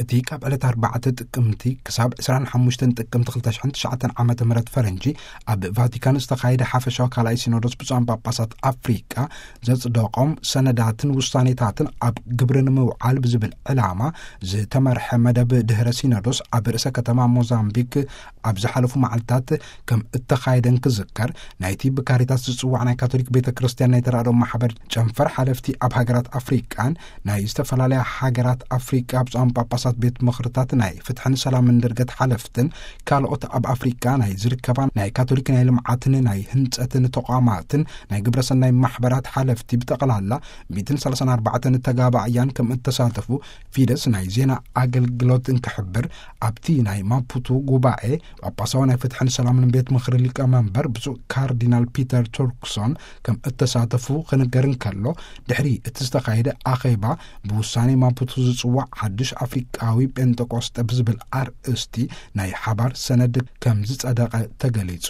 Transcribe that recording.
እቲ ካብ ዕለት ኣርባዕተ ጥቅምቲ ክሳብ ዕስራን ሓሙሽተን ጥቅምቲ ክልተ ሽሕን ትሽዓተን ዓመተ ምህረት ፈረንጂ ኣብ ቫቲካን ዝተኻየደ ሓፈሻዊ ካልኣይ ሲኖዶስ ብፁዓን ጳጳሳት ኣፍሪቃ ዘጽደቖም ሰነዳትን ውሳኔታትን ኣብ ግብሪ ንምውዓል ብዝብል ዕላማ ዝተመርሐ መደብ ድህረ ሲኖዶስ ኣብ ርእሰ ከተማ ሞዛምቢክ ኣብ ዝሓለፉ መዓልታት ከም እተኻየደን ክዝከር፣ ናይቲ ብካሪታስ ዝጽዋዕ ናይ ካቶሊክ ቤተ ክርስቲያን ናይ ተራድኦ ማሕበር ጨንፈር ሓለፍቲ ኣብ ሃገራት ኣፍሪቃን ናይ ዝተፈላለያ ሃገራት ኣፍሪቃ ብፁዓን ጳጳሳት ቤት ምኽርታት ናይ ፍትሕን ሰላምን ድርገት ሓለፍትን ካልኦት ኣብ ኣፍሪቃ ናይ ዝርከባ ናይ ካቶሊክ ናይ ልምዓትን ናይ ህንጸትን ተቋማትን ናይ ግብረሰናይ ማሕበራት ሓለፍቲ ብጠቕላላ ሚእትን ሰላሳን ኣርባዕተን ተጋባእያን ከም እተሳተፉ ፊደስ ናይ ዜና ኣገልግሎት እንክሕብር፣ ኣብቲ ናይ ማፑቱ ጉባኤ ጳጳሳዊ ናይ ፍትሕን ሰላምን ቤት ምኽሪ ሊቀመንበር ብፁዕ ካርዲናል ፒተር ቱርክሶን ከም እተሳተፉ ክንገር እንከሎ፣ ድሕሪ እቲ ዝተኻየደ ኣኼባ ብውሳኔ ማፑቱ ዝጽዋዕ ሓድሽ ኣፍሪቃዊ ጴንጠቆስጠ ብዝብል ኣርእስቲ ናይ ሓባር ሰነድ ከም ዝጸደቐ ተገሊጹ።